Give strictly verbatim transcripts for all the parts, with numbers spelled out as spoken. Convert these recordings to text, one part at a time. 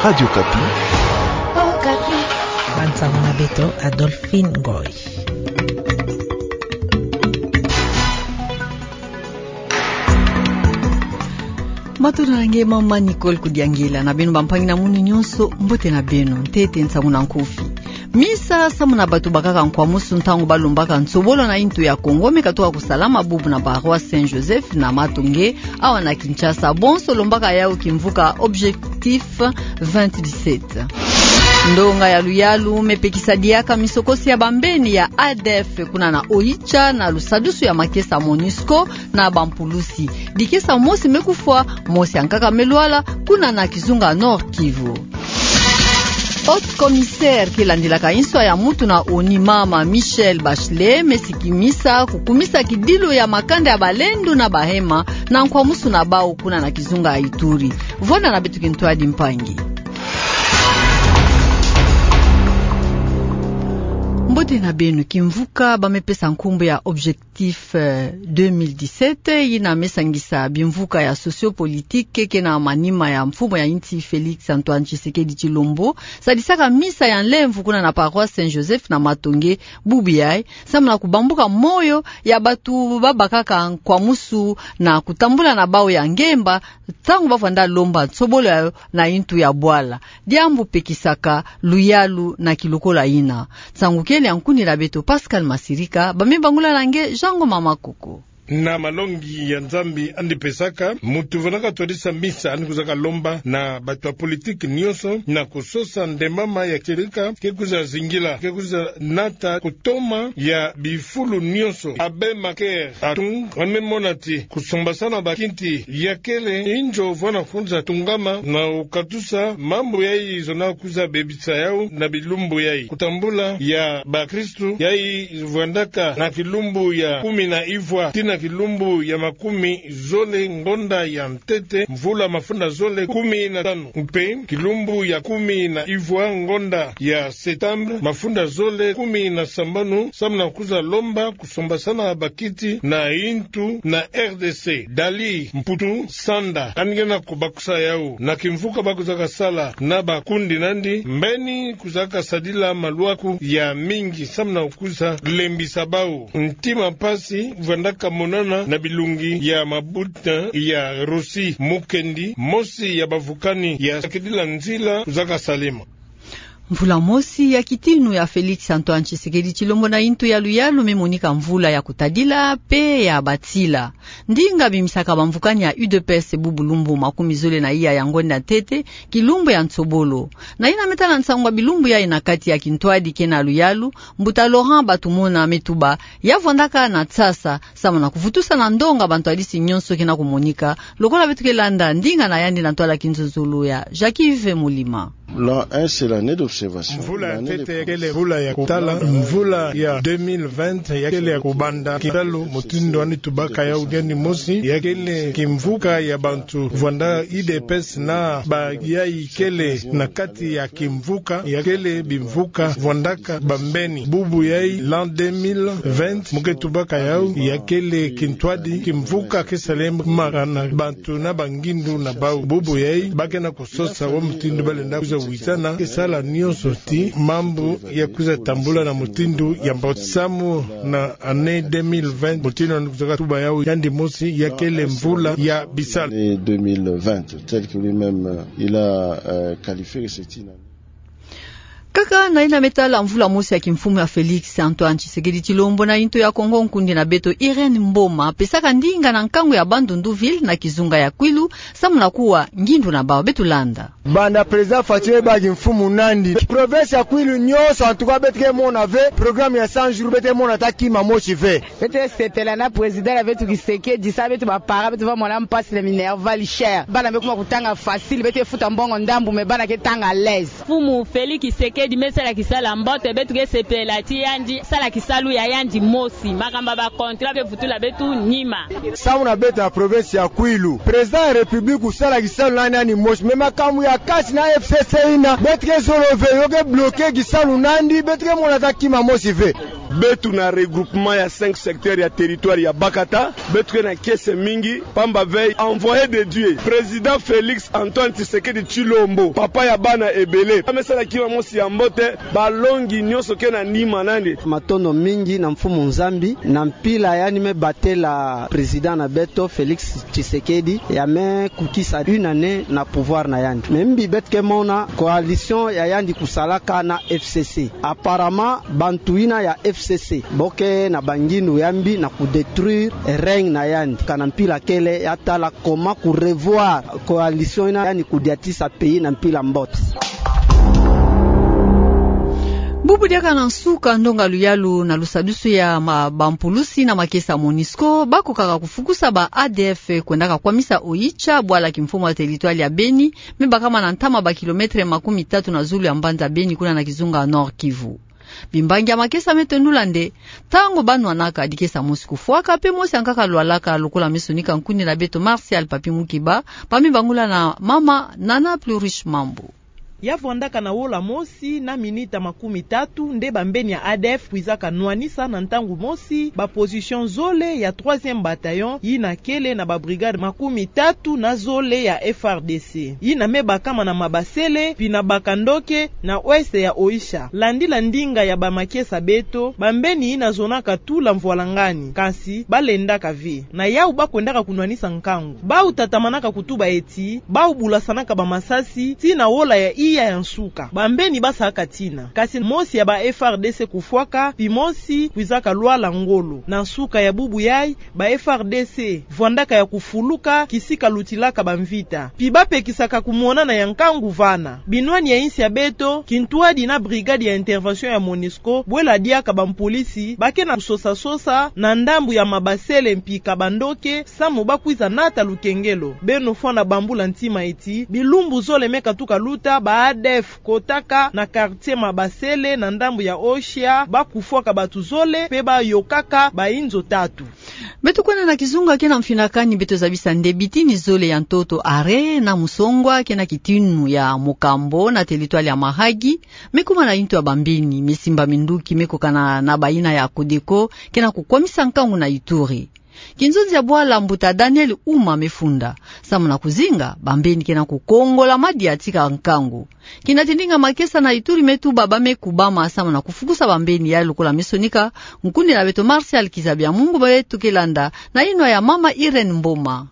Radio Okapi. Okapi. Bansango na beto Adolphine Ngoy. Matondo na nge mama Nicole Kudiangila, na beno bampangi na munu nyonso, mbote na beno. Ntete nsangu na nkufi. Misa samu na bato bakaka nkwamusu ntangu balombaka nsobolo na intu ya Kongo me katuka kusalama bubu na paroisse Saint Joseph na Matonge, awa na Kinshasa. Bonso lombaka yau kimvuka Objectif vingt dix-sept. Ndonga ya luyalu me pekisa diaka misokosi ya bambeni ya A D F kuna na Oicha na lusadusu ya makesa MONUSCO na bampulusi. Dikesa mosi me kufwa, mosi ya nkaka me lwala, kuna na kizunga Nord-Kivu. Haute commissaire ke landilaka nswa ya mutu na ONU, mama Michelle Bachelet, me sikimisa kukumisa kidilu ya makanda ya balendo na bahema na nkwamusu na bau kuna na kizunga ya Ituri. Vwanda na beto kintwadi mpangi. Mbote na beno. Kimvuka ba me pesa nkumbu ya Objectif, eh, deux mille dix-sept, yina me sangisa bimvuka ya socio-politique ke na manima ya mfumu ya insi Félix Antoine Tshisekedi Tshilombo, sadisaka misa ya nlemvo kuna na paroisse Saint Joseph na Matonge, bubu yai, samu na kubambuka moyo ya bato babakaka nkwamusu na kutambula na bau ya ngemba, ntangu bavwanda lomba nsobolo yau na intu ya bwala. Diambu pekisaka luyalu na kilokola yina. Nsangu kele ya nkuni na beto Pascal Masirika, ba me bangula na nge Jean Ngoma Makoko. Na malongi ya Nzambi yandi pesaka, mutu vwandaka twadisa misa yandi kuzaka lomba na bato ya politique nyonso, na kusosa nde mama ya tieleka ke kuza zingila, ke kuza nata kutoma ya bifulu nyonso. Abbé Macaire Atung, yandi me mona ti kusombasana bakiti ya kele inzo vwanda kuza tungama na kukatusa mambu yai zonaka kuza bebisa yau na bilumbu yai. Kutambula ya bakristu yai vwandaka na kilumbu ya kumi na ivwa tii na kilumbu ya makumi zole ngonda ya ntete, mvula mafunda zole kumi na tanu, mpe kilumbu ya kumi na ivwa ngonda ya septembre, mafunda zole kumi na sambanu, samu na kuza lomba kusombasana bakiti na intu na R D C. Dali Mputu Sanda, yandi ke na kubakusa yau na kimvuka ba kuzaka sala na bakundi na yandi, mbeni kuzaka sadila malwaku ya mingi samu na kuza lembisa bau. Ntima mpasi vwandaka monana na bilongi ya mabuta ya Russie, mukendi mosi ya bavukani ya sakidila nzila kuzaka salema. Mvula mosi ya kitinu ya Félix Antoine Tshisekedi Tshilombo na intu ya luyalu me monika mvula ya kutadila mpe ya batila. Ndinga bimisaka bamvukani ya U D P S bubu lumbu makumi zole na iya ya ngonda ntete, kilumbu ya nsobolo. Na yina me tala nsangu ya bilumbu yai na kati ya kintwadi ke na luyalu, mbuta Laurent Batumona me tuba ya vwandaka na tsasa, samu na kuvutusa na ndonga bantwadisi nyonso ke na kumonika, lokola beto ke landa ndinga na yandi na ntwala kinzonzolo ya Jacques-Yves Molima. L'an un, c'est l'année d'observation. Mvula ya ntete ya kele mvula ya kutala, mvula ya deux mille vingt ya kele ya kubanda kitalu, mutindu yandi tubaka yau diandi mosi, ya kele kimvuka ya bantu vwanda U D P S na ba yai kele na kati ya kimvuka, ya kele bimvuka vwandaka bambeni. Bubu yai l'an deux mille vingt, mu ke tubaka yau, ya kele kintwadi, kimvuka ke salemaka na bantu na bangindu na bau. Bubu yai, ba ke na kusosa wa mutindu ba lenda kuza wizana, ke sala nyonso ti mambu ya kuza tambula na mutindu ya mbote. Samu na année deux mille vingt, mutindu yandi kuzaka tuba yau yandi mosi, ya kele mvula ya bisalu. L'année deux mille vingt, tel que lui-même, euh, il a, euh, qualifié que c'est une année. Kaka na yina me tala mvula mosi ya kimfumu ya Félix Antoine Tshisekedi Tshilombo na intu ya Kongo, nkundi na beto Irène Mboma pesaka ndinga na nkangu ya Bandundu ville na kizunga ya Kwilu, samu na kuwa ngindu na bau. Beto landa. Banda président Fatshi baki mfumu nandi, province ya Kwilu nyonso, en tout cas, beto ke mona ve programme ya cent jours, beto ke mona ata kima mosi ve. Beto ke sepela na président na beto Tshisekedi, sa beto ba parents, beto va mona mpasi na minerval cher. Bana me kuma kutanga facile, beto ke futa mbongo ndambu, mais bana ke tanga à l'aise. Mfumu Félix Tshisekedi me sala kisalu ya mbote, beto ke sepela ti yandi sala kisalu ya yandi mosi. Makambu ya ba contrat ke vutula beto nima. Samu na beto na province ya Kwilu, président ya République kusala kisalu na yandi mosi. Mais makambu ya cash na F C C yina, beto ke zolo ve, yo ke bloquer kisalu na yandi, beto ke mona ata kima mosi ve. Beto na regroupement ya cinq secteurs ya territoire ya Bakata, beto ke na kiese mingi, pamba ve envoyé de Dieu, président Félix Antoine Tshisekedi Tshilombo, papa ya bana ebele, ame sala kima mosi ya mbote, balongi nyonso ke na nima na yandi. Matondo mingi na Mfumu Nzambi, na mpila yandi me batela président na beto Félix Tshisekedi, ya me kukisa une année na pouvoir na yandi. Mais mbi beto ke mona coalition ya yandi kusalaka na F C C. Apparemment, bantu yina ya F C C, bo ke na bangindu ya mbi na kudétruire règne na yandi. Kana mpila kele ya tala comment kurevoir coalition yina yandi kudiatisa pays na mpila mbote. Bubu diaka na nsuka ndonga luyalu na lusadusu ya ma-, bampulusi na makesa MONUSCO, bakokaka kufukusa ba A D F kwendaka kwamisa Oicha, bwala kimfumu ya territoire ya Beni, me bakama na ntama ba kilomètre makumi tatu na zulu ya mbanza Beni, kuna na kizunga Nord-Kivu. Bimbangi ya makesa me tondula nde, ntangu ba nwanaka, dikesa mosi kufwaka, pe mosi yankaka lwalaka, lokola me sonika nkundi na beto Martial Papi Mukiba, ba me bangula na mama Nana Plurish Mambu. Ya vwandaka na wola mosi na minita makumi tatu nde bambeni ya A D F kwizaka nwanisa na ntangu mosi ba position zole ya troisième bataillon yina kele na ba brigade makumi tatu na zole ya F R D C, yina me bakama na Mabasele, pi na Bakandoke, na ouest ya Oicha. Landila ndinga ya ba makesa beto, bambeni yina zonaka tula mvwalangani, kasi balendaka ve. Na yau ba kwendaka kunwanisa nkangu. Bau tatamanaka kutuba eti, bau bulasanaka ba masasi, tii na wola ya iya ya nsuka. Bambeni basaka tina. Kasi mosi ya ba F R D C kufwaka, pi mosi kwizaka lwala ngolo. Na nsuka ya bubu yai, ba F R D C vwandaka ya kufuluka kisika lutilaka bamvita. Pi bapekisaka kumonana ya nkangu vana. Binwani ya insi ya beto, kintwadi na brigade ya intervention ya MONUSCO, bwela diaka bampulisi, ba ke na kusosa-sosa, na ndambu ya Mabasele mpi Kabandoke, samu ba kwiza nata lukengelo. Beno fwana bambula ntima eti, bilumbu zole me katuka luta, ba A D F kotaka na quartier Mabasele, na ndambu ya Oicha, ba kufwaka batu zole, pe ba yokaka ba inzo tatu. Beto kwenda na kizunga ke na mfinakani, beto zabisa nde bitini zole ya ntoto Are na Musongwa ke na kitinu ya Mokambo na territoire ya Mahagi, me kuma na intu ya bambeni, me simba minduki me kokana na bayina ya Codeco ke na kukwamisa nkangu na Ituri. Kinzonzi ya bwala mbuta Daniel Uma me funda, samu na kuzinga, bambeni ke na kukongola madia tika nkangu. Kina ti ndinga makesa na Ituri me tuba ba me kubama samu na kufukusa bambeni yai, lokola me sonika nkundi na beto Martial Kizabiamungu, beto ke landa na inwa ya mama Irène Mboma.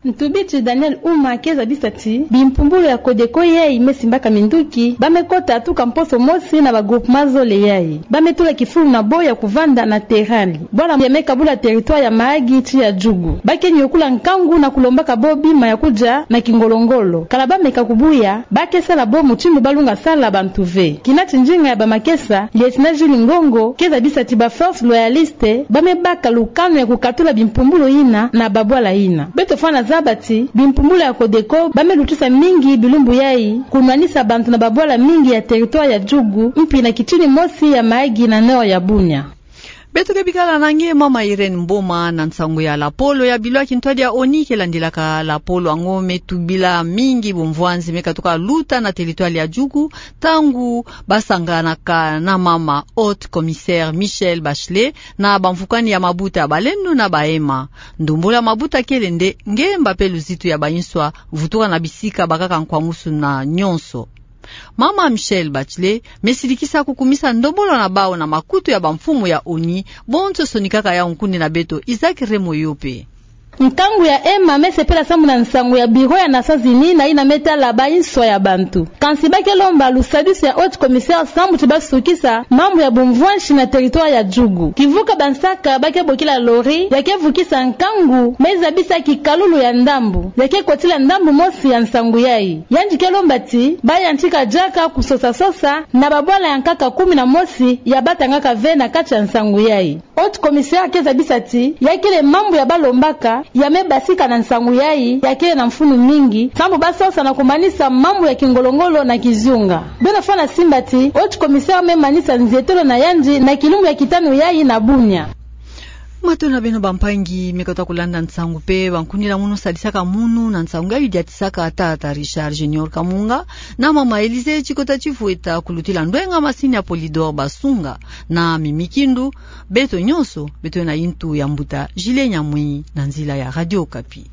Ntubiti Daniel Uma ke zabisa ti bimpumbulu ya Codeco yai me simbaka minduki, ba me kota tuka mposo mosi na ba groupement zole yai. Ba me tula kifulu na bo ya kuvanda na terrain li. Bwala ya me kabula territoire ya Mahagi tii ya Djugu. Ba ke nyokula nkangu na kulombaka bo bima ya kudia na kingolo-ngolo. Kala ba meka kubuya, ba ke sala bo mutindu ba lunga sala bantu ve. Kina ti ndinga ya ba makesa, lieutenant Jules Ngongo, ke zabisa ti ba forces loyalistes ba me baka lukanu ya kukatula bimpumbulu yina na babwala yina. Beto fwana zaba ti bimpumbulu ya Codeco ba me lutisa mingi bilumbu yai, kunwanisa bantu na babwala mingi ya territoire ya Djugu, mpi na kitini mosi ya Mahagi na nord ya Bunia. Beto ke bikala na nge mama Irène Mboma na nsangu ya lapolo ya bilo ya kintwadi ya ONI ke landilaka lapolo yango me tubila mingi bumvwanzi me katuka luta na territoire ya Djugu, ntangu ba sanganaka na mama haute commissaire Michelle Bachelet na bamvukani ya mabuta ya Baleno na Bahema. Ndombolo ya mabuta kele nde ngemba pe luzitu ya ba inswa, vutuka na bisika bakaka nkwamusu na nyonso. Mama Michelle Bachelet me sidikisa kukumisa ndombolo na bau na makutu ya bamfumu ya ONI, bonso sonikaka yau nkundi na beto Isaac Remoyope. Nkangu ya Emma me sepela samu na nsangu ya bureau ya Nations Unies na yina me tala ba inswa ya bantu. Kansi ba ke lomba lusadusu ya haute commissaire samu ti ba sukisa mambu ya bumvwansi na territoire ya Djugu. Kivuka bansaka ba ke bokila lori ya ke vukisa nkangu me zabisa kikalulu ya ndambu ya ke kotila ndambu mosi ya nsangu yai. Yandi ke lomba ti ba yantika diaka kusosa-sosa na babwala ya nkaka kumi na mosi ya ba tangaka ve na kati ya nsangu yai. Haute commissaire ke zabisa ti ya kele mambu ya ba lombaka ya me basika na nsangu yai, ya kele na mfunu mingi, samu ba sosa na kumanisa mambu ya kingolo-ngolo na kizunga. Beno fwana simba ti haute commissaire me manisa nzietolo na yandi na kilumbu ya kitanu yai na Bunia. Matondo na beno bampangi, me kota kulanda nsangu pe bankunila munu sadisaka munu na nsangu ngayi diatisaka tata Richard Junior Kamunga, na mama Elise Chikota Chifueta kulutila ndwenga masini ya Polydor Basunga, na Mimi Kindu. Beto nyonso, beto na intu ya mbuta Julien Nyamwinyi na nzila ya Radio Okapi.